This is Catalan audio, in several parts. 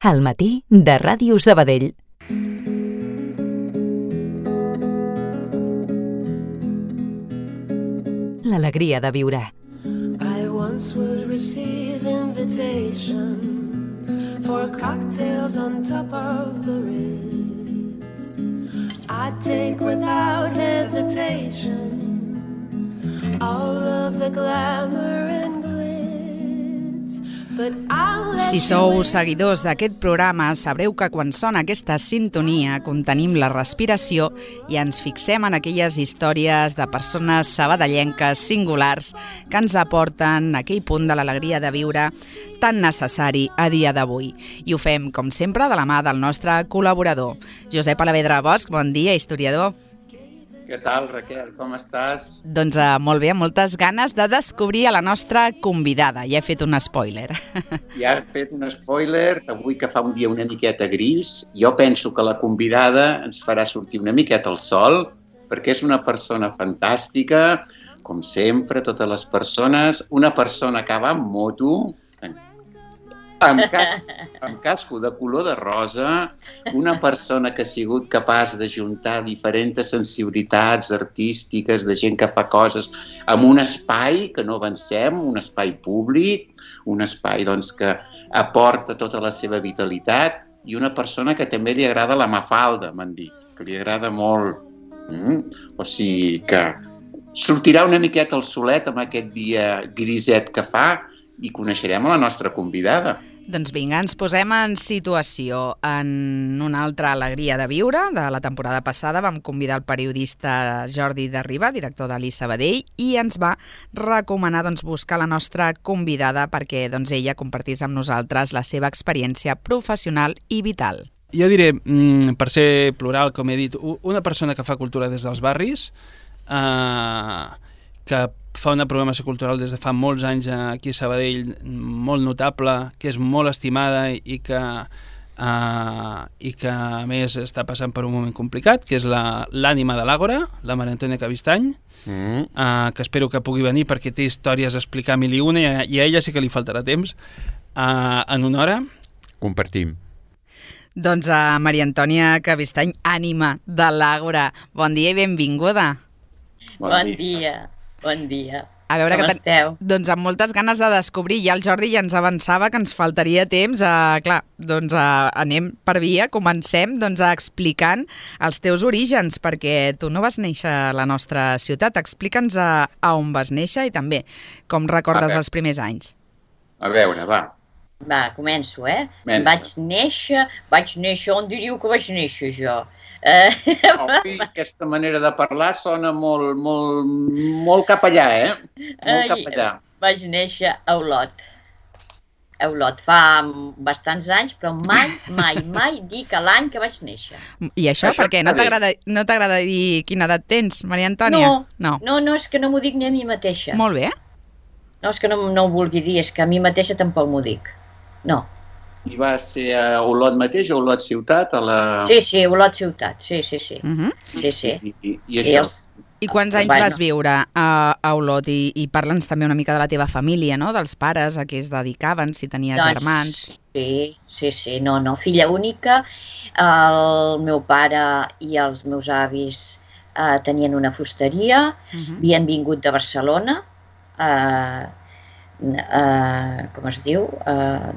Al matí de Ràdio Sabadell. L'alegria de viure. I once would receive invitations for cocktails on top of the Ritz. I'd take without hesitation all of the glamour and glitz, but I'll let Si sou seguidors d'aquest programa, sabreu que quan sona aquesta sintonia contenim la respiració i ens fixem en aquelles històries de persones sabadellenques singulars que ens aporten aquell punt de l'alegria de viure tan necessari a dia d'avui. I ho fem, com sempre, de la mà del nostre col·laborador. Josep Alavedra Bosch, bon dia, historiador. Què tal, Raquel? Com estàs? Doncs molt bé, amb moltes ganes de descobrir a la nostra convidada. Ja he fet un spoiler. Ja he fet un spoiler. Avui que fa un dia una miqueta gris, jo penso que la convidada ens farà sortir una miqueta al sol, perquè és una persona fantàstica, com sempre, totes les persones. Una persona que va amb moto, amb casco de color de rosa, una persona que ha sigut capaç de juntar diferents sensibilitats artístiques, de gent que fa coses en un espai que no avancem, un espai públic, un espai doncs, que aporta tota la seva vitalitat, i una persona que també li agrada la Mafalda, m'han dit, que li agrada molt. O sigui que sortirà una miqueta el solet amb aquest dia griset que fa i coneixerem a la nostra convidada. Doncs vinga, ens posem en situació. En una altra alegria de viure de la temporada passada vam convidar el periodista Jordi de Riba, director de l'I Sabadell, i ens va recomanar buscar la nostra convidada perquè ella compartís amb nosaltres la seva experiència professional i vital. Jo diré, per ser plural, com he dit, una persona que fa cultura des dels barris, que fa una programació cultural des de fa molts anys aquí a Sabadell, molt notable, que és molt estimada i que a més està passant per un moment complicat, que és l'ànima de l'Àgora, la Maria Antònia Cabistany, que espero que pugui venir perquè té històries a explicar mil i una i a ella sí que li faltarà temps en una hora. Compartim. Doncs a Maria Antònia Cabistany, ànima de l'Àgora, bon dia i benvinguda. Bon dia. Bon dia. A veure, com esteu? Doncs amb moltes ganes de descobrir. Ja el Jordi ja ens avançava que ens faltaria temps. Anem per via, comencem explicant els teus orígens, perquè tu no vas néixer a la nostra ciutat. Explica'ns a on vas néixer i també com recordes els primers anys. A veure, va. Va, començo, Vaig néixer, on diríeu que vaig néixer jo? Aquesta manera de parlar sona molt cap allà, Molt cap allà. Vaig néixer a Olot. A Olot fa bastants anys, però mai dic l'any que vaig néixer. I això perquè no t'agrada dir quina edat tens, Maria Antònia? No, és que no m'ho dic ni a mi mateixa. Molt bé. No, és que no ho vulgui dir, és que a mi mateixa tampoc m'ho dic. No. I va ser a Olot mateix o a Olot ciutat? Sí, Olot ciutat, sí. Sí. I això? I quants anys vas viure a Olot? I parla'ns també una mica de la teva família, no? Dels pares, a què es dedicaven, si tenies germans. Sí, no, filla única. El meu pare i els meus avis tenien una fusteria, havien vingut de Barcelona, com es diu,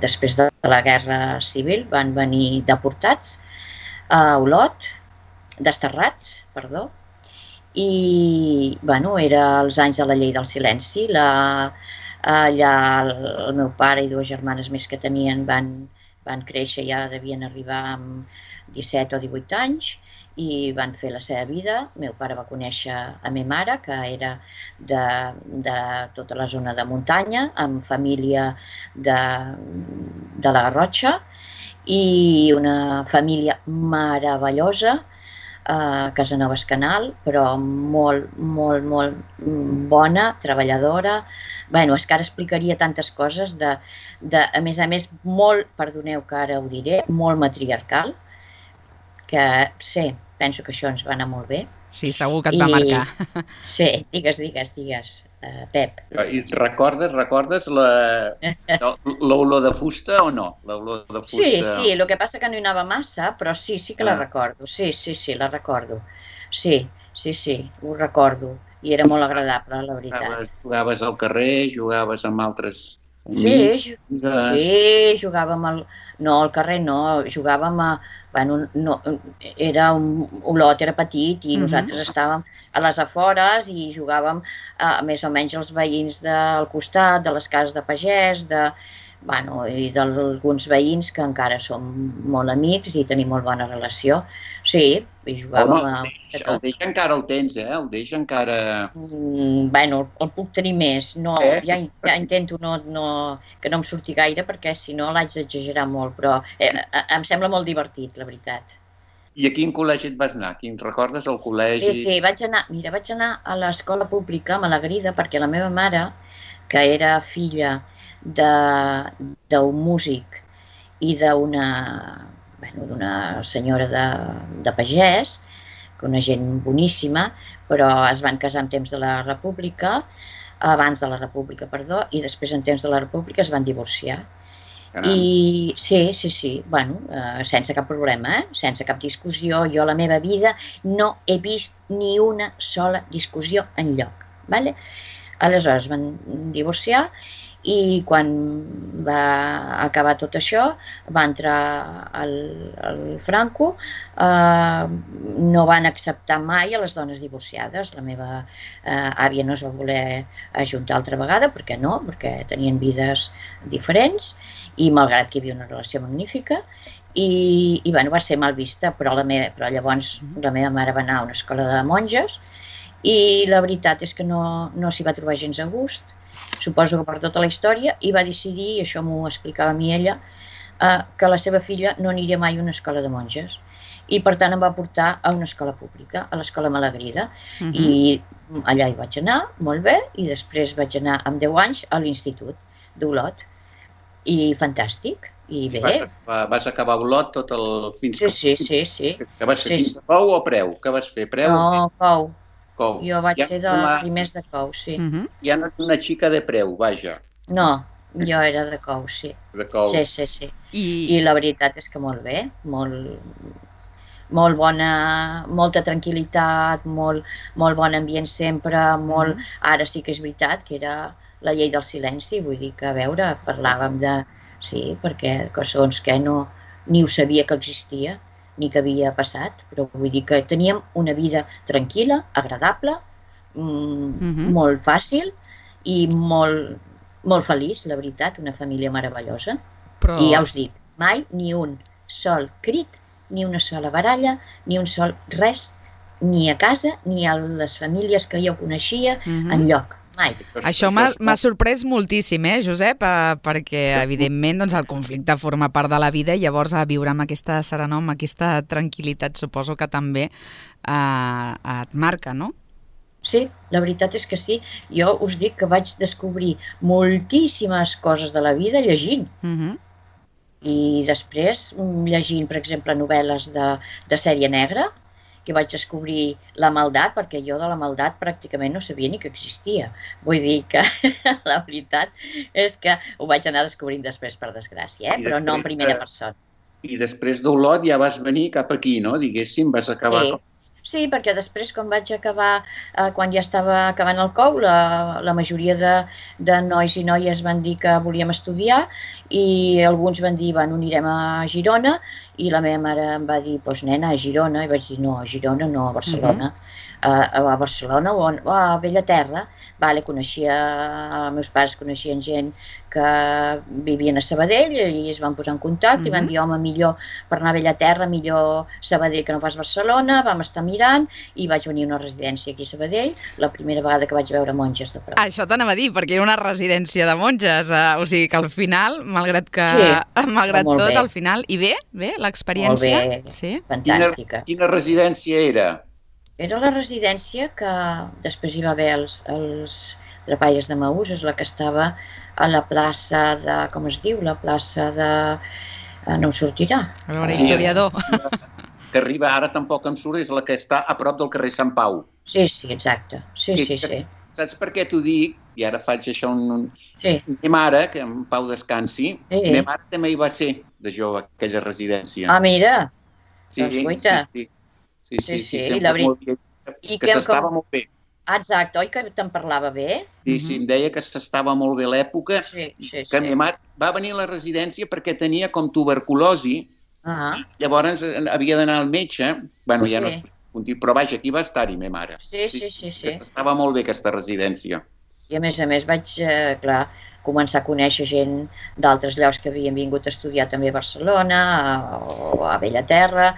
després de la Guerra Civil, van venir deportats a Olot, desterrats, perdó, i, era els anys de la llei del silenci. Allà el meu pare i dues germanes més que tenien van créixer, ja devien arribar amb 17 o 18 anys, i van fer la seva vida. El meu pare va conèixer a meva mare, que era de tota la zona de muntanya, amb família de la Garrotxa, i una família meravellosa a Casanovas Canal, però molt bona, treballadora. És que ara explicaria tantes coses, a més, molt, perdoneu que ara ho diré, molt matriarcal, que penso que això ens va anar molt bé. Sí, segur que et va marcar. Sí, digues, Pep. I recordes l'olor de fusta o no? L'olor de fusta... Sí, el que passa que no hi anava massa, però sí que la recordo. Sí, la recordo. Sí, ho recordo. I era molt agradable, la veritat. Jugaves al carrer, jugaves amb altres... Sí, jugàvem al carrer no, jugàvem a... Bueno, no, era un olot, era petit i nosaltres estàvem a les afores i jugàvem més o menys els veïns del costat, de les cases de pagès, i d'alguns veïns que encara som molt amics i tenim molt bona relació. Sí, i jugàvem... El deix encara el tens, El deix encara... El puc tenir més. No, ja intento que no em surti gaire perquè si no l'haig d'exagerar molt, però em sembla molt divertit, la veritat. I a quin col·legi et vas anar? Quin recordes el col·legi? Sí, vaig anar a l'escola pública a Malagrida perquè la meva mare, que era filla d'un músic i d'una senyora de pagès, una gent boníssima, però es van casar en temps de la República, abans de la República, perdó, i després en temps de la República es van divorciar. I sí, sense cap problema, sense cap discussió. Jo a la meva vida no he vist ni una sola discussió enlloc. Aleshores van divorciar i quan va acabar tot això va entrar el Franco, no van acceptar mai a les dones divorciades. La meva àvia no es va voler ajuntar altra vegada, perquè tenien vides diferents i malgrat que hi havia una relació magnífica i va ser mal vista, però llavors la meva mare va anar a una escola de monges i la veritat és que no s'hi va trobar gens a gust, suposo que per tota la història, i va decidir, i això m'ho explicava a mi ella, que la seva filla no aniria mai a una escola de monges i per tant em va portar a una escola pública, a l'escola Malagrida, i allà hi vaig anar, molt bé, i després vaig anar amb 10 anys a l'institut d'Olot i fantàstic, i bé. Vas acabar a Olot tot el... Sí. Que vas fer fins a Cou o Preu? Què vas fer, Preu? No, Cou. Jo vaig ser de primers de Cou, sí. Ja no ets una xica de Preu, vaja. No, jo era de Cou, sí. De Cou. Sí. I la veritat és que molt bé, molt bona, molta tranquil·litat, molt bon ambient sempre, ara sí que és veritat que era la llei del silenci, vull dir que, a veure, parlàvem de... Sí, perquè segons que ni ho sabia que existia, ni que havia passat, però vull dir que teníem una vida tranquil·la, agradable, molt fàcil i molt feliç, la veritat, una família meravellosa. I ja us dic, mai ni un sol crit, ni una sola baralla, ni un sol res, ni a casa, ni a les famílies que jo coneixia, enlloc. Mai. Això m'ha sorprès moltíssim, Josep, perquè evidentment el conflicte forma part de la vida i llavors a viure amb aquesta serenor, amb aquesta tranquil·litat, suposo que també et marca, no? Sí, la veritat és que sí. Jo us dic que vaig descobrir moltíssimes coses de la vida llegint. I després llegint, per exemple, novel·les de sèrie negra, que vaig descobrir la maldat, perquè jo de la maldat pràcticament no sabia ni que existia. Vull dir que la veritat és que ho vaig anar descobrint després, per desgràcia, però no en primera persona. I després d'Olot ja vas venir cap aquí, no? Diguéssim, vas acabar... Sí, perquè després, quan ja estava acabant el Cou, la majoria de nois i noies van dir que volíem estudiar i alguns van dir, anirem a Girona, i la meva mare em va dir, doncs nena, a Girona, i vaig dir, no, a Girona no, a Barcelona. A Barcelona o a Bellaterra. Els meus pares coneixien gent que vivien a Sabadell i es van posar en contacte i van dir, home, millor per anar a Bellaterra, millor Sabadell que no pas Barcelona. Vam estar mirant i vaig venir a una residència aquí a Sabadell, la primera vegada que vaig veure monges de prop. Això t'anava a dir, perquè era una residència de monges, o sigui que al final, malgrat tot, al final, i bé, l'experiència? Molt bé, fantàstica. Quina residència era? Era la residència que després hi va haver els Trapalles de Maús, és la que estava a la plaça de... com es diu? La plaça de... no em sortirà. A veure, historiador. que arriba ara tampoc em surt, és la que està a prop del carrer Sant Pau. Sí, exacte. Sí. Saps per què t'ho dic? I ara faig això Sí. Ma mare, que en Pau descansi, ma mare també hi va ser de jove, aquella residència. Ah, mira. Sí, doncs guaita. Sí, sempre molt bé. Que s'estava molt bé. Exacte, oi que te'n parlava bé? Sí, em deia que s'estava molt bé l'època, que ma mare va venir a la residència perquè tenia com tuberculosi, llavors havia d'anar al metge, bueno, ja no es pot dir, però vaja, aquí va estar-hi ma mare. Sí. Estava molt bé aquesta residència. I a més vaig, clar, començar a conèixer gent d'altres llocs que havien vingut a estudiar també a Barcelona o a Bellaterra,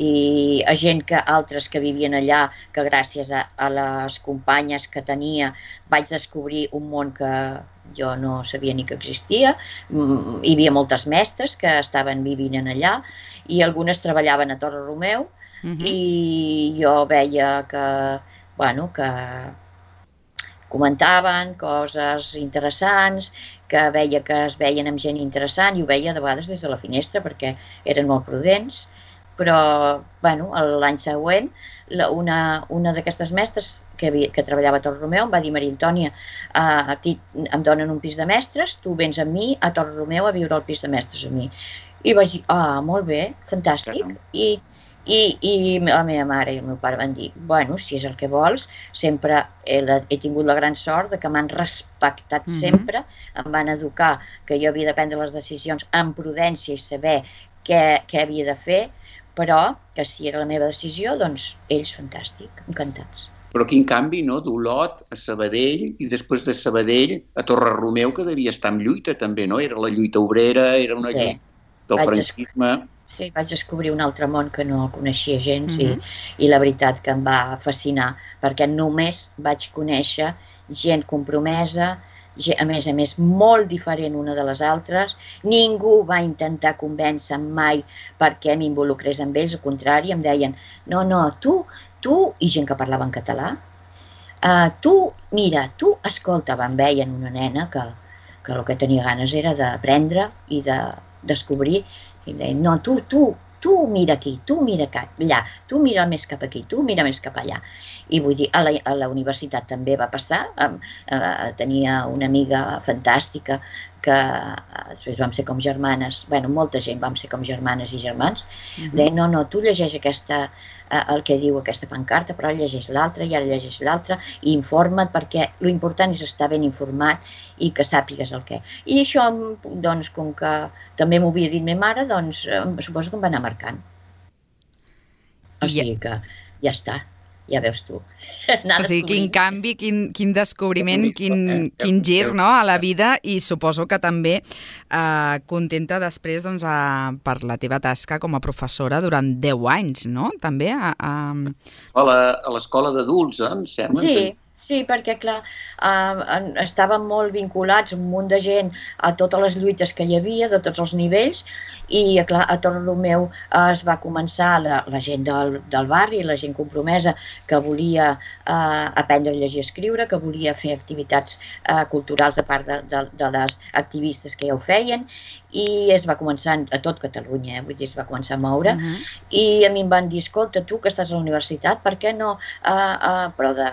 i a gent altres que vivien allà, que gràcies a les companyes que tenia vaig descobrir un món que jo no sabia ni que existia. Hi havia moltes mestres que estaven vivint allà i algunes treballaven a Torre Romeu i jo veia que comentaven coses interessants, que veia que es veien amb gent interessant i ho veia de vegades des de la finestra perquè eren molt prudents. Però l'any següent una d'aquestes mestres que treballava a Torre Romeu em va dir: Maria Antònia, em donen un pis de mestres, tu vens amb mi a Torre Romeu a viure al pis de mestres amb mi. I vaig dir: molt bé, fantàstic. I la meva mare i el meu pare van dir: bueno, si és el que vols, sempre he tingut la gran sort de que m'han respectat sempre, em van educar que jo havia de prendre les decisions amb prudència i saber què havia de fer, però que si era la meva decisió, doncs ells fantàstic, encantats. Però quin canvi, no?, d'Olot a Sabadell i després de Sabadell a Torre Romeu, que devia estar en lluita també, no? Era la lluita obrera, era una lluita del franquisme. Sí, vaig descobrir un altre món que no coneixia gens i la veritat que em va fascinar, perquè només vaig conèixer gent compromesa, a més molt diferent una de les altres. Ningú va intentar convèncer-me mai perquè m'involucrés amb ells, al contrari, em deien: no, tu, i gent que parlava en català, tu, escolta, em veien una nena que el que tenia ganes era d'aprendre i de descobrir, i em deien: no, tu mira aquí, tu mira allà, tu mira més cap aquí, tu mira més cap allà. I vull dir, a la universitat també va passar, tenia una amiga fantàstica que després vam ser com germanes, molta gent vam ser com germanes i germans, deien: no, tu llegeix el que diu aquesta pancarta, però ara llegeix l'altra i ara llegeix l'altra i informa't, perquè l'important és estar ben informat i que sàpigues el què. I això, doncs, com que també m'ho havia dit ma mare, doncs suposo que em va anar marcant. O sigui que ja està. Ja veus tu. O sigui, quin canvi, quin descobriment, quin gir, no?, a la vida, i suposo que també contenta després per la teva tasca com a professora durant 10 anys, no?, també. A l'escola d'adults, em sembla. Sí, perquè, clar, estàvem molt vinculats, un munt de gent, a totes les lluites que hi havia, de tots els nivells, i, clar, a Torre Romeu es va començar la gent del barri, la gent compromesa, que volia aprendre a llegir i escriure, que volia fer activitats culturals de part de les activistes que ja ho feien, i es va començar a tot Catalunya, vull dir, es va començar a moure, i a mi em van dir: escolta, tu que estàs a la universitat, per què no, però de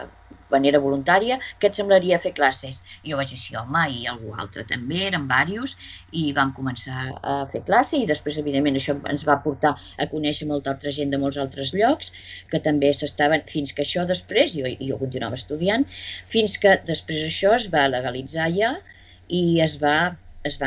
manera voluntària, què et semblaria fer classes? I jo vaig dir: sí, home, i algú altre també, eren diversos, i vam començar a fer classe, i després, evidentment, això ens va portar a conèixer molta altra gent de molts altres llocs, que també s'estaven, fins que això després, jo continuava estudiant, fins que després això es va legalitzar ja, i es van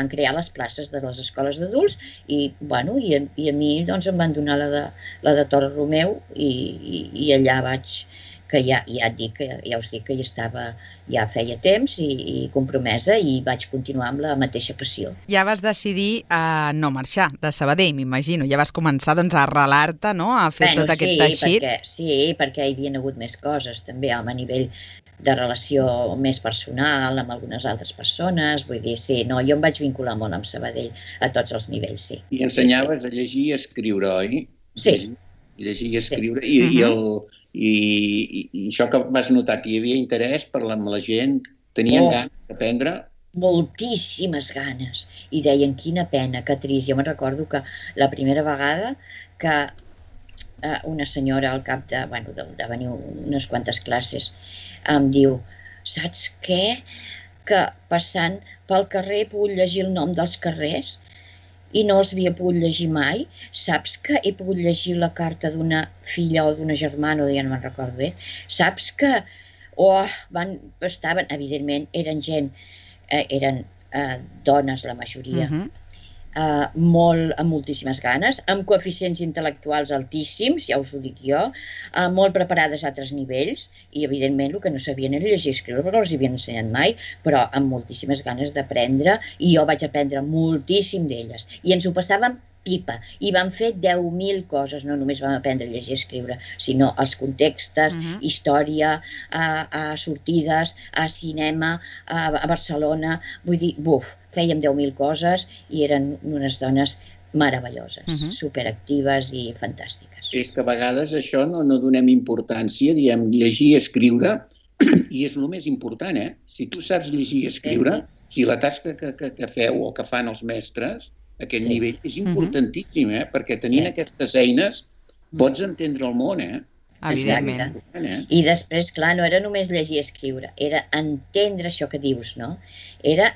crear les places de les escoles d'adults, i a mi doncs em van donar la de Torre Romeu, i allà vaig, que ja us dic que hi estava ja feia temps i compromesa, i vaig continuar amb la mateixa passió. Ja vas decidir no marxar de Sabadell, m'imagino. Ja vas començar a arrelar-te, no?, a fer tot aquest teixit. Sí, perquè hi havia hagut més coses, també, a nivell de relació més personal amb algunes altres persones, vull dir, sí, no, jo em vaig vincular molt amb Sabadell a tots els nivells, sí. I ensenyaves a llegir i a escriure, oi? Sí. Llegir i escriure, i això que vas notar, que hi havia interès per la gent, tenien ganes d'aprendre? Moltíssimes ganes, i deien: quina pena, que trist. Jo me'n recordo que la primera vegada que una senyora al cap de venir unes quantes classes, em diu, saps què? Que passant pel carrer he pogut llegir el nom dels carrers i no els havia pogut llegir mai. Saps que he pogut llegir la carta d'una filla o d'una germana, ja no me'n recordo bé. Saps que estaven, evidentment, eren gent, eren dones la majoria, amb moltíssimes ganes, amb coeficients intel·lectuals altíssims, ja us ho dic jo, molt preparades a altres nivells i, evidentment, el que no sabien era llegir i escriure perquè no els havien ensenyat mai, però amb moltíssimes ganes d'aprendre, i jo vaig aprendre moltíssim d'elles. I ens ho passàvem pipa, i vam fer 10.000 coses, no només vam aprendre a llegir i escriure, sinó els contextes, història, a sortides, a cinema, a Barcelona, vull dir, fèiem 10.000 coses i eren unes dones meravelloses, superactives i fantàstiques. És que a vegades això no donem importància, diem llegir i escriure, i és el més important, eh? Si tu saps llegir i escriure, si la tasca que feu o que fan els mestres, aquest nivell és importantíssim, perquè tenint aquestes eines pots entendre el món, Evidentment. I després, clar, no era només llegir i escriure, era entendre això que dius, no? Era,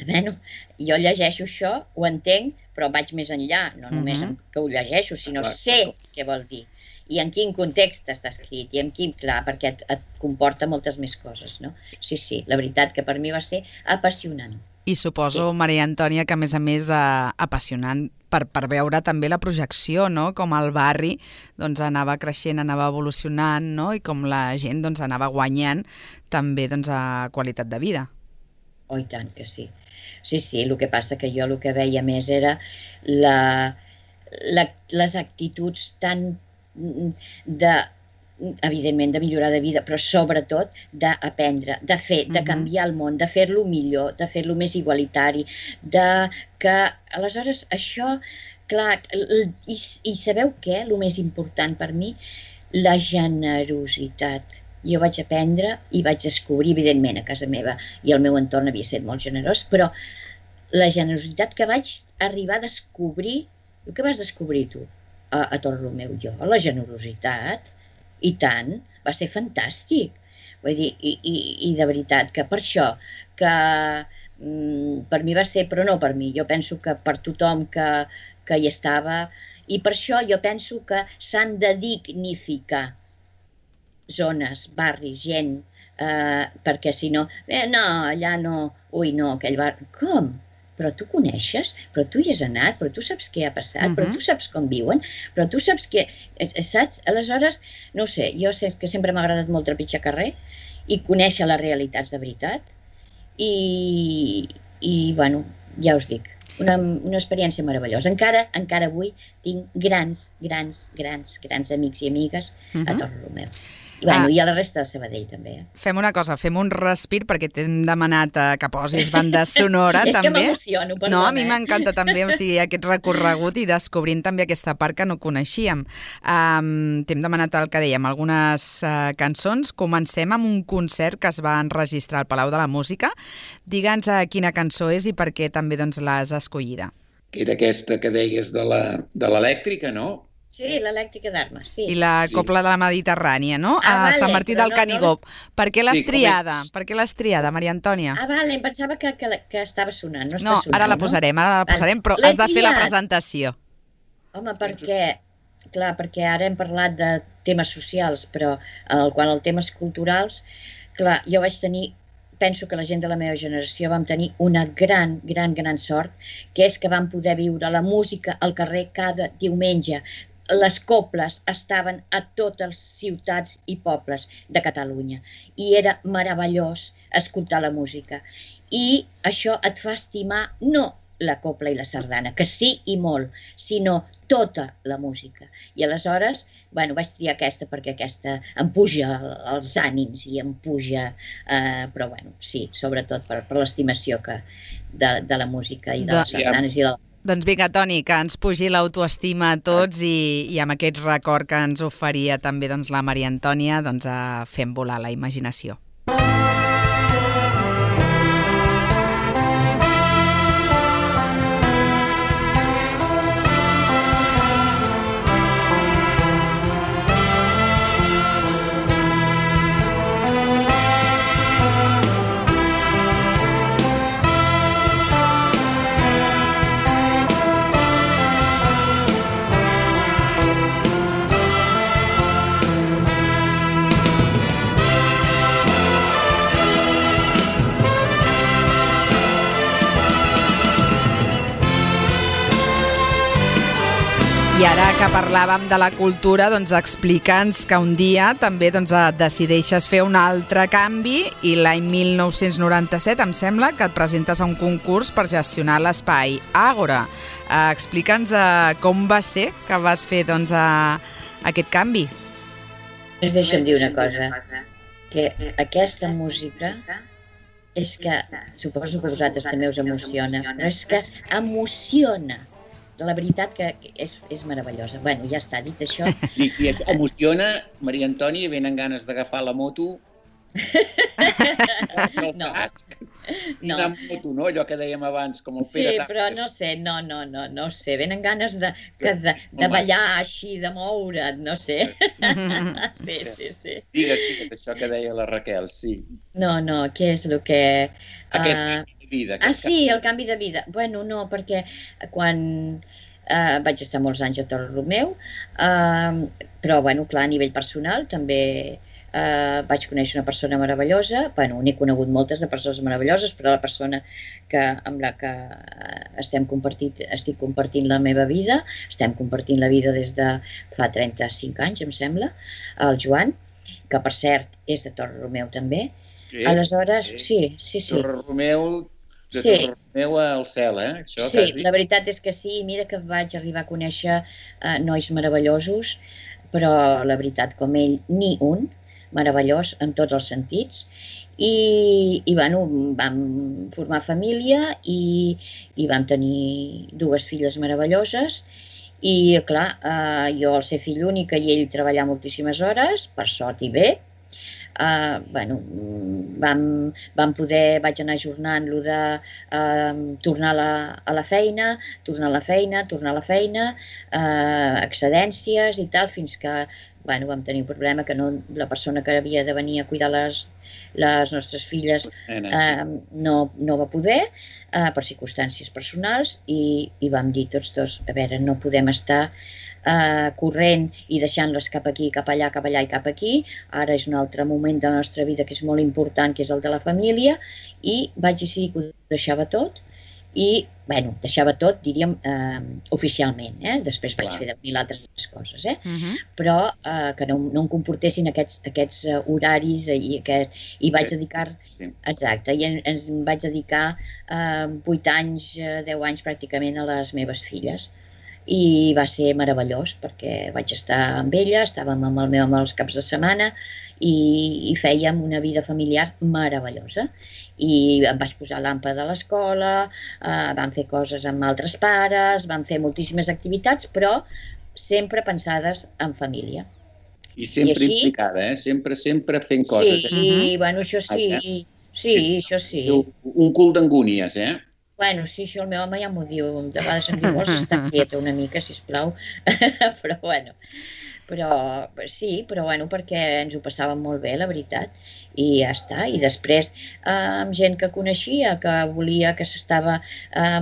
bueno, jo llegeixo això, ho entenc, però vaig més enllà, no només que ho llegeixo, sinó sé què vol dir i en quin context està escrit i en quin, clar, perquè et comporta moltes més coses, no? Sí, la veritat que per mi va ser apassionant. I suposo, Maria Antònia, que a més apassionant per veure també la projecció, no? Com el barri doncs, anava creixent, anava evolucionant, no? I com la gent doncs, anava guanyant també doncs, a qualitat de vida. Oh, i tant que sí. Sí, el que passa que jo el que veia més era les actituds tan evidentment de millorar de vida, però sobretot d'aprendre, de fer, de canviar el món, de fer-lo millor, de fer-lo més igualitari, que aleshores això, clar, i sabeu què? El més important per mi, la generositat. Jo vaig aprendre i vaig descobrir, evidentment, a casa meva i el meu entorn havia estat molt generós, però la generositat que vaig arribar a descobrir, el que vas descobrir tu a Torromeu? Jo, la generositat, i tant, va ser fantàstic. Vull dir, i de veritat que per això, que per mi va ser, però no per mi, jo penso que per tothom que hi estava, i per això jo penso que s'han de dignificar zones, barris, gent, perquè si no, no, allà no, ui no, aquell barri, com? Però tu coneixes, però tu hi has anat, però tu saps què ha passat, però tu saps com viuen, però tu saps què... Saps? Aleshores, no sé, jo sé que sempre m'ha agradat molt trepitjar carrer i conèixer les realitats de veritat i bueno, ja us dic, una experiència meravellosa. Encara avui tinc grans amics i amigues a Torromeu. I a la resta de Sabadell també. Fem una cosa, fem un respir perquè t'hem demanat que posis banda sonora també. És que m'emociono, perdona. No, a mi m'encanta també, o sigui, aquest recorregut i descobrint també aquesta part que no coneixíem. T'hem demanat el que dèiem, algunes cançons. Comencem amb un concert que es va enregistrar al Palau de la Música. Digue'ns quina cançó és i per què també doncs, l'has escollida. Era aquesta que deies de l'elèctrica, no? Sí, l'elèctrica d'Armes, sí. I la Copla de la Mediterrània, no? A Sant Martí del Canigó. Per què l'has triada? Per què l'has triada, Maria Antònia? Vale, em pensava que estava sonant. No està sonant, ara la posarem, però has de fer la presentació. Home, perquè ara hem parlat de temes socials, però quan el temes culturals, clar, jo vaig tenir, penso que la gent de la meva generació vam tenir una gran sort, que és que vam poder viure la música al carrer cada diumenge. Les coples estaven a totes les ciutats i pobles de Catalunya i era meravellós escoltar la música. I això et fa estimar no la copla i la sardana, que sí i molt, sinó tota la música. I aleshores, bueno, vaig triar aquesta perquè aquesta em puja els ànims i em puja, però bueno, sí, sobretot per l'estimació de la música i de les sardanes i de la... Doncs vinga, Toni, que ens pugi l'autoestima a tots i amb aquest record que ens oferia també doncs, la Maria Antònia, doncs, fem volar la imaginació. I ara que parlàvem de la cultura, doncs explica'ns que un dia també decideixes fer un altre canvi i l'any 1997 em sembla que et presentes a un concurs per gestionar l'espai Àgora. Explica'ns com va ser que vas fer aquest canvi. Deixa'm dir una cosa, que aquesta música és que suposo que a vosaltres també us emociona, però és que emociona. La veritat que és meravellosa. Bueno, ja està, dit això. I et emociona, Maria Antònia, venen ganes d'agafar la moto? No. No. Una moto, no? Allò que dèiem abans, com el Pere. Sí, però no sé, no sé. Venen ganes de ballar així, de moure't, no sé. Sí. Digues això que deia la Raquel, sí. No, què és el que... Vida, sí, el canvi de vida. Bueno, no, perquè quan vaig estar molts anys a Torre Romeu, però, bueno, clar, a nivell personal també vaig conèixer una persona meravellosa. Bueno, n'he conegut moltes de persones meravelloses, però la persona amb la que estic compartint la meva vida, estem compartint la vida des de fa 35 anys, em sembla, el Joan, que per cert és de Torre Romeu també. Aleshores, sí. Torre Romeu... De Torre Romeu al cel, Això, sí, quasi. La veritat és que sí. Mira que vaig arribar a conèixer nois meravellosos, però la veritat, com ell, ni un, meravellós en tots els sentits. I bueno, vam formar família i vam tenir 2 filles meravelloses. I, clar, jo al ser fill única i ell treballar moltíssimes hores, per sort i bé, vaig anar ajornant-lo de tornar a la feina, excedències i tal, fins que vam tenir un problema que la persona que havia de venir a cuidar les nostres filles no va poder, per circumstàncies personals, i vam dir tots dos, a veure, no podem estar corrent i deixant-les cap aquí, cap allà i cap aquí. Ara és un altre moment de la nostra vida que és molt important, que és el de la família, i vaig decidir que ho deixava tot. I, bueno, deixava tot, diríem, oficialment. Després vaig fer 10.000 altres coses, però que no em comportessin aquests horaris i vaig dedicar... Exacte, i em vaig dedicar 8 anys, 10 anys pràcticament a les meves filles. I va ser meravellós perquè vaig estar amb ella, estàvem amb el meu home els caps de setmana i fèiem una vida familiar meravellosa. I em vaig posar l'àmpada a l'escola, vam fer coses amb altres pares, vam fer moltíssimes activitats, però sempre pensades en família. I sempre implicada, sempre fent coses. Sí, bueno, això sí. Sí, això sí. Un cul d'angúnies, Bueno, sí, això el meu home ja m'ho diu. De vegades em diu, vols estar quieta una mica, sisplau. Però, bueno, perquè ens ho passàvem molt bé, la veritat. I ja està. I després, amb gent que coneixia, que volia, que s'estava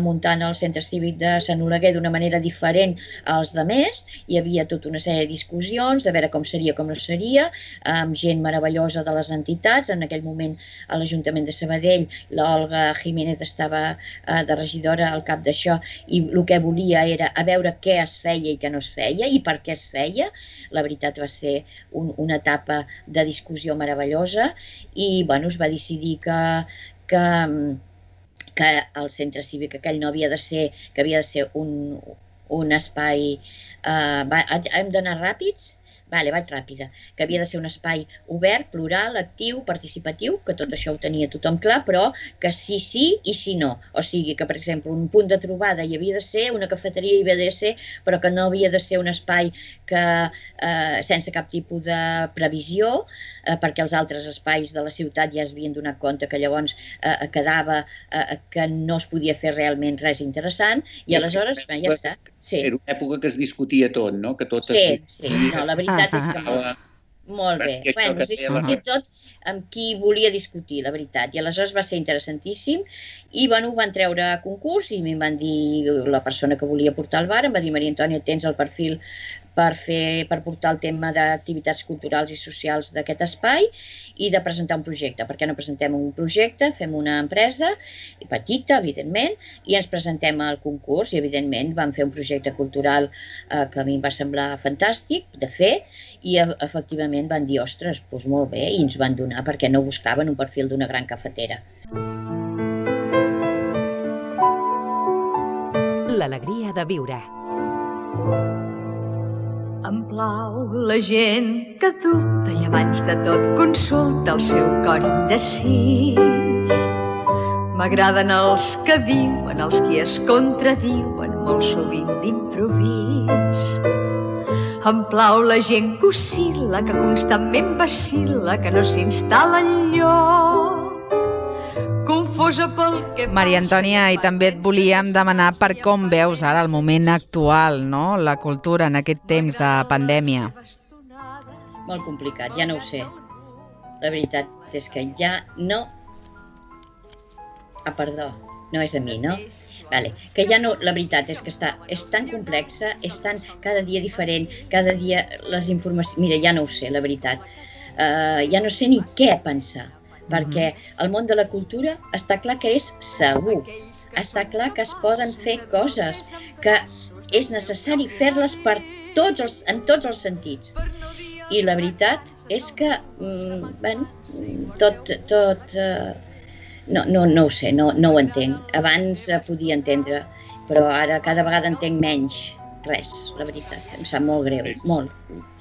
muntant el centre cívic de Sant Oleguer d'una manera diferent als demés, hi havia tota una sèrie de discussions, de veure com seria, com no seria, amb gent meravellosa de les entitats. En aquell moment, a l'Ajuntament de Sabadell, l'Olga Jiménez estava de regidora al cap d'això, i el que volia era a veure què es feia i què no es feia, i per què es feia. La veritat va ser una etapa de discussió meravellosa, i bueno, es va decidir que el centre cívic aquell no havia de ser, que havia de ser un espai... Hem d'anar ràpids? Vale, vaig ràpida. Que havia de ser un espai obert, plural, actiu, participatiu, que tot això ho tenia tothom clar, però que sí i sí no. O sigui que, per exemple, un punt de trobada hi havia de ser, una cafeteria hi havia de ser, però que no havia de ser un espai sense cap tipus de previsió, perquè els altres espais de la ciutat ja es havien donat compte que llavors quedava que no es podia fer realment res interessant, i aleshores ja està. Era una època que es discutia tot, no? Sí, no, la veritat és que molt bé. Bueno, es discutia tot amb qui volia discutir, la veritat, i aleshores va ser interessantíssim, i bueno, ho van treure a concurs, i em van dir, la persona que volia portar al bar, em va dir, Maria Antònia, tens el perfil per portar el tema d'activitats culturals i socials d'aquest espai i de presentar un projecte. Per què no presentem un projecte, fem una empresa, petita, evidentment, i ens presentem al concurs i, evidentment, vam fer un projecte cultural que a mi em va semblar fantàstic de fer i, efectivament, van dir, ostres, doncs molt bé, i ens van donar perquè no buscaven un perfil d'una gran cafetera. L'alegria de viure. Em plau la gent que dubta i abans de tot consulta el seu cor indecís. M'agraden els que diuen, els qui es contradiuen, molt sovint d'improvís. Em plau la gent que oscil·la, que constantment vacil·la, que no s'instal·la enlloc. Confosa pel que... Maria Antònia, i també et volíem demanar per com veus ara el moment actual, no? La cultura en aquest temps de pandèmia. Molt complicat, ja no ho sé. La veritat és que ja no... perdó, no és a mi, no? Vale. Que ja no, la veritat és que és tan complexa, és tan cada dia diferent, cada dia les informacions... Mira, ja no ho sé, la veritat. Ja no sé ni què pensar. Perquè el món de la cultura està clar que és segur, està clar que es poden fer coses, que és necessari fer-les en tots els sentits. I la veritat és que, no ho sé, no ho entenc. Abans podia entendre, però ara cada vegada entenc menys res, la veritat. Em sap molt greu, molt.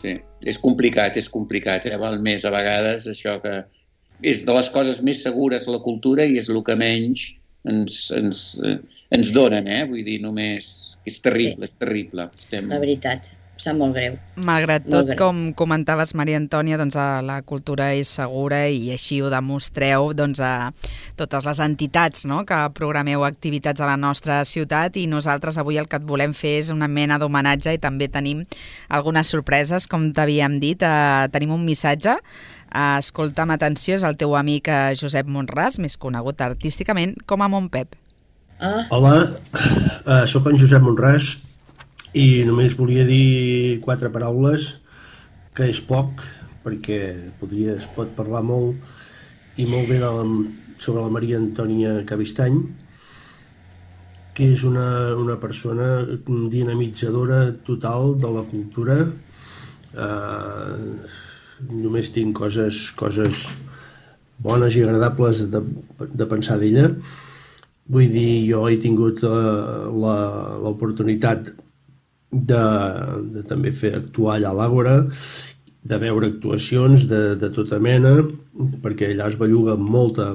Sí, és complicat, val més a vegades això que... És de les coses més segures la cultura i és el que menys ens donen, vull dir, només... És terrible, sí. És terrible. La veritat, sap molt greu. Malgrat tot, com comentaves, Maria Antònia, doncs la cultura és segura i així ho demostreu doncs, a totes les entitats, no?, que programeu activitats a la nostra ciutat, i nosaltres avui el que et volem fer és una mena d'homenatge i també tenim algunes sorpreses, com t'havíem dit. Tenim un missatge. Escolta amb atenció, és el teu amic Josep Monràs, més conegut artísticament com a Montpep. Hola, sóc en Josep Monràs i només volia dir 4 paraules, que és poc, perquè es pot parlar molt i molt bé sobre la Maria Antònia Cabistany, que és una persona dinamitzadora total de la cultura. Només tinc coses bones i agradables de pensar d'ella. Vull dir, jo he tingut l'oportunitat de també actuar allà a l'Àgora, de veure actuacions de tota mena, perquè allà es belluga molta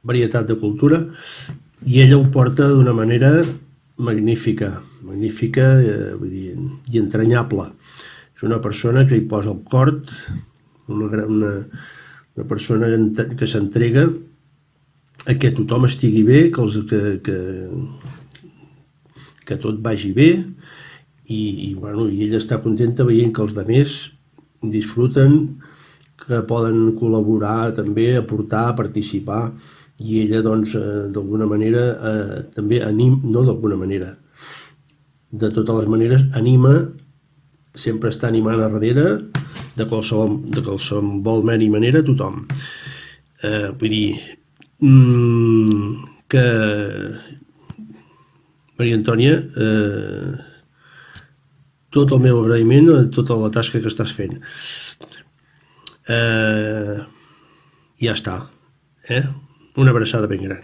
varietat de cultura, i ella ho porta d'una manera magnífica, vull dir, i entranyable. És una persona que hi posa el cor, una persona que s'entrega a que tothom estigui bé, que tot vagi bé, i ella està contenta veient que els altres disfruten, que poden col·laborar també, aportar, participar, i ella doncs d'alguna manera també anima, no d'alguna manera, de totes les maneres anima, sempre està animant a darrere de qualsevol manera a tothom. Vull dir que Maria Antònia, tot el meu agraïment a tota la tasca que estàs fent. Ja està. Una abraçada ben gran.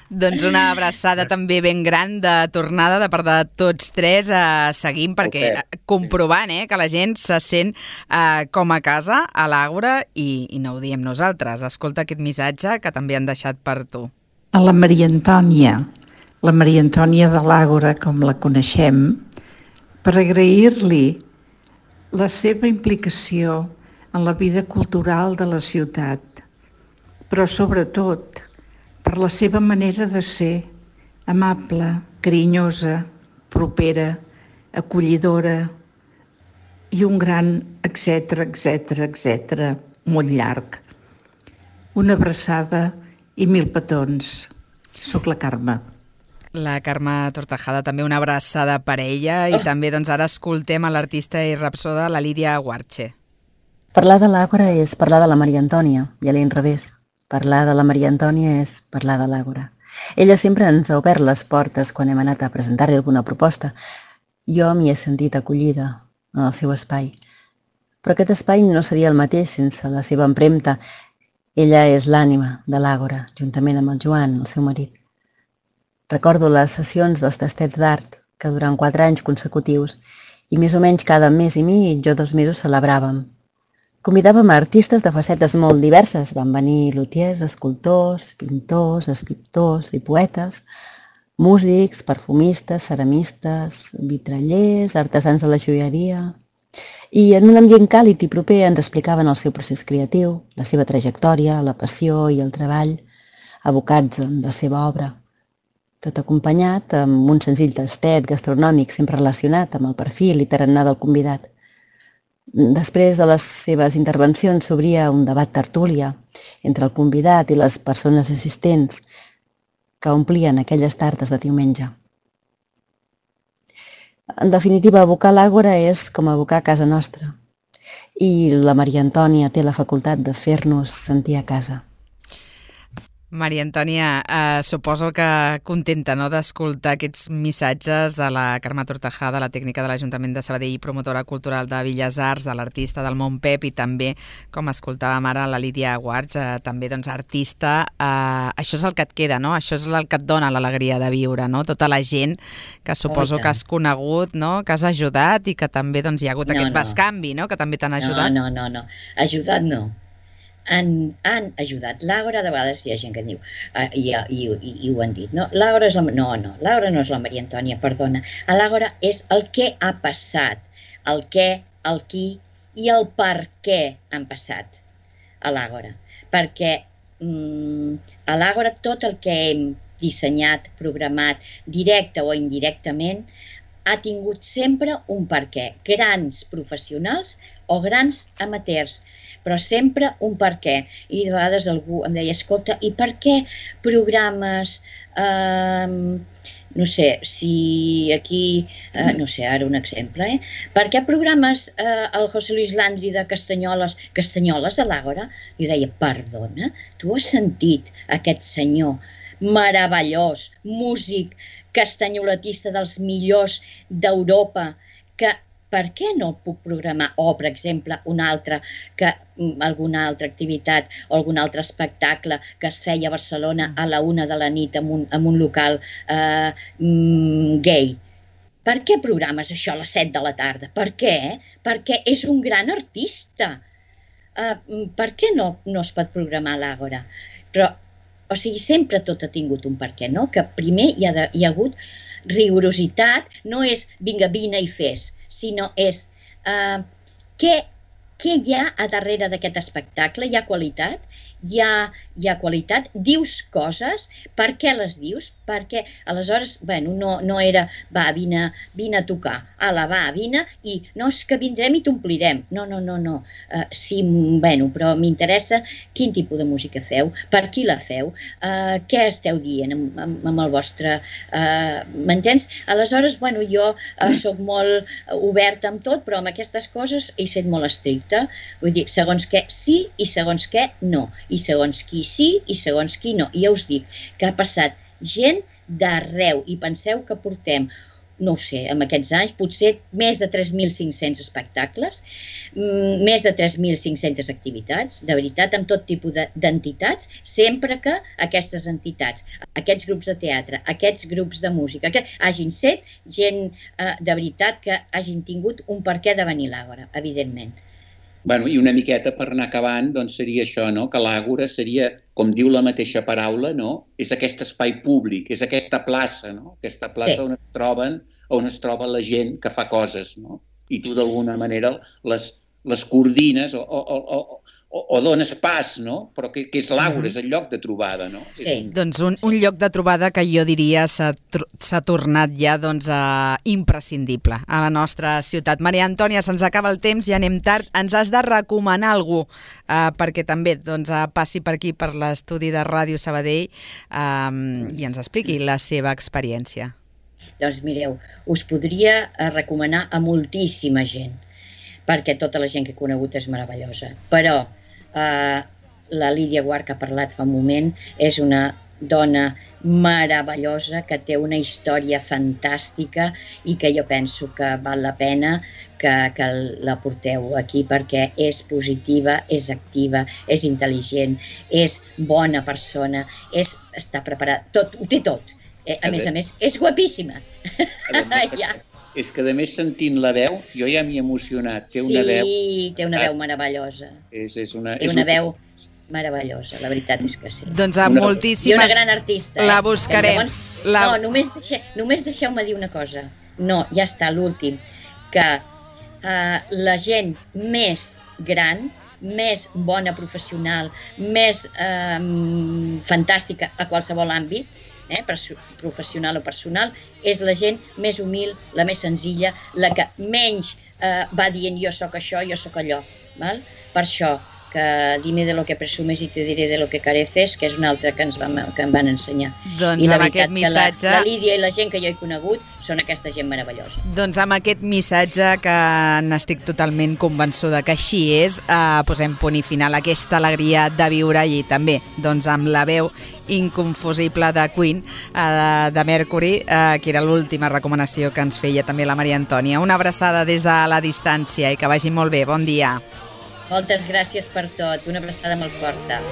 Doncs una abraçada també ben gran de tornada de part de tots tres. Seguim perquè comprovant que la gent se sent com a casa a l'Àgora, i no ho diem nosaltres. Escolta aquest missatge que també han deixat per tu. A la Maria Antònia de l'Àgora, com la coneixem, per agrair-li la seva implicació en la vida cultural de la ciutat, però sobretot per la seva manera de ser, amable, carinyosa, propera, acollidora i un gran etc, molt llarg. Una abraçada i 1000 petons. Soc la Carme. La Carme Tortajada, també una abraçada per ella, i també doncs ara escoltem a l'artista i rapsoda, la Lídia Guarche. Parlar de l'Àgora és parlar de la Maria Antònia, i a l'inrevés. Parlar de la Maria Antònia és parlar de l'Àgora. Ella sempre ens ha obert les portes quan hem anat a presentar-li alguna proposta. Jo m'hi he sentit acollida en el seu espai. Però aquest espai no seria el mateix sense la seva empremta. Ella és l'ànima de l'Àgora, juntament amb el Joan, el seu marit. Recordo les sessions dels tastets d'art, que durant 4 anys consecutius, i més o menys cada mes i mig o 2 mesos celebràvem. Convidàvem a artistes de facetes molt diverses. Van venir lutiers, escultors, pintors, escriptors i poetes, músics, perfumistes, ceramistes, vitrallers, artesans de la joieria. I en un ambient càlid i proper ens explicaven el seu procés creatiu, la seva trajectòria, la passió i el treball, abocats en la seva obra. Tot acompanyat amb un senzill tastet gastronòmic sempre relacionat amb el perfil i tarannà del convidat. Després de les seves intervencions s'obria un debat tertúlia entre el convidat i les persones assistents que omplien aquelles tardes de diumenge. En definitiva, abocar l'Àgora és com abocar a casa nostra, i la Maria Antònia té la facultat de fer-nos sentir a casa. Maria Antònia, suposo que contenta, no?, d'escoltar aquests missatges de la Carme Tortajada, la tècnica de l'Ajuntament de Sabadell i promotora cultural de Belles Arts, de l'artista del Montpep, i també, com escoltàvem ara, la Lídia Guarch, també doncs artista. Això és el que et queda, no? Això és el que et dona l'alegria de viure, no? Tota la gent que suposo que has conegut, no?, que has ajudat i que també doncs hi ha hagut aquest bescanvi, no?, que també t'han ajudat. No. Ajudat no. Han ajudat. L'Àgora, de vegades hi ha gent que diu, i ho han dit, no? L'Àgora és la... No, l'Àgora no és la Maria Antònia, perdona. L'Àgora és el que ha passat, el què, el qui i el per què han passat a l'Àgora. Perquè a l'Àgora tot el que hem dissenyat, programat, directe o indirectament, ha tingut sempre un per què. Grans professionals o grans amateurs, però sempre un per què. I de vegades algú em deia, escolta, i per què programes, no sé, si aquí, no sé, ara un exemple, per què programes el José Luis Landry de Castanyoles a l'Àgora? Jo deia, perdona, tu has sentit aquest senyor meravellós, músic, castanyoletista dels millors d'Europa, que per què no el puc programar? O, per exemple, alguna altra activitat o algun altre espectacle que es feia a Barcelona a la 1 de la nit en un local gay. Per què programes això a les 7 de la tarda? Per què? Perquè és un gran artista. Per què no es pot programar a l'Àgora? Però, o sigui, sempre tot ha tingut un per què, no? Que primer hi ha hagut rigorositat, no és vinga, vine i fes, sinó és què hi ha a darrere d'aquest espectacle? Hi ha qualitat? Hi ha qualitat? Dius coses? Per què les dius? Perquè aleshores, no era va, vine a tocar, vine i no és que vindrem i t'omplirem. No. Sí, però m'interessa quin tipus de música feu, per qui la feu, què esteu dient amb el vostre... M'entens? Aleshores, jo soc molt oberta amb tot, però amb aquestes coses he estat molt estricta. Vull dir, segons què sí i segons què no. I segons qui sí i segons qui no. I ja us dic que ha passat gent d'arreu i penseu que portem, no ho sé, en aquests anys, potser més de 3.500 espectacles, més de 3.500 activitats, de veritat, amb tot tipus d'entitats, sempre que aquestes entitats, aquests grups de teatre, aquests grups de música, hagin set gent de veritat que hagin tingut un per què de venir a l'Àgora, evidentment. I una miqueta per anar acabant, doncs seria això, que l'Àgora seria, com diu la mateixa paraula, és aquest espai públic, és aquesta plaça, aquesta plaça on es troba la gent que fa coses, i tu d'alguna manera les coordines o o dones pas, no? Però que és l'Àgora, és el lloc de trobada, no? Sí. Doncs un lloc de trobada que jo diria s'ha tornat ja imprescindible a la nostra ciutat. Maria Antònia, se'ns acaba el temps, ja anem tard. Ens has de recomanar algú perquè també passi per aquí, per l'estudi de Ràdio Sabadell i ens expliqui la seva experiència. Doncs mireu, us podria recomanar a moltíssima gent, perquè tota la gent que he conegut és meravellosa. Però la Lídia Guart, que ha parlat fa un moment, és una dona meravellosa que té una història fantàstica i que jo penso que val la pena que la porteu aquí perquè és positiva, és activa, és intel·ligent, és bona persona, està preparada, ho té tot. A més, és guapíssima. És que, a més, sentint la veu, jo ja m'he emocionat. Té una veu... Sí, té una veu meravellosa. Té una veu meravellosa, la veritat és que sí. Doncs amb moltíssimes... I una gran artista. La buscarem. No, només deixeu-me dir una cosa. No, ja està, l'últim. Que la gent més gran, més bona professional, més fantàstica a qualsevol àmbit, professional o personal, és la gent més humil, la més senzilla, la que menys va dient jo sóc això, jo sóc allò. Per això, que dime de lo que presumes i te diré de lo que careces, que és una altra que em van ensenyar. Doncs amb aquest missatge... La Lídia i la gent que jo he conegut són aquesta gent meravellosa. Doncs amb aquest missatge, que n'estic totalment convençuda que així és, posem punt i final a aquesta alegria de viure i també amb la veu inconfusible de Queen, de Mercury, que era l'última recomanació que ens feia també la Maria Antònia. Una abraçada des de la distància i que vagi molt bé. Bon dia. Moltes gràcies per tot. Una abraçada molt forta.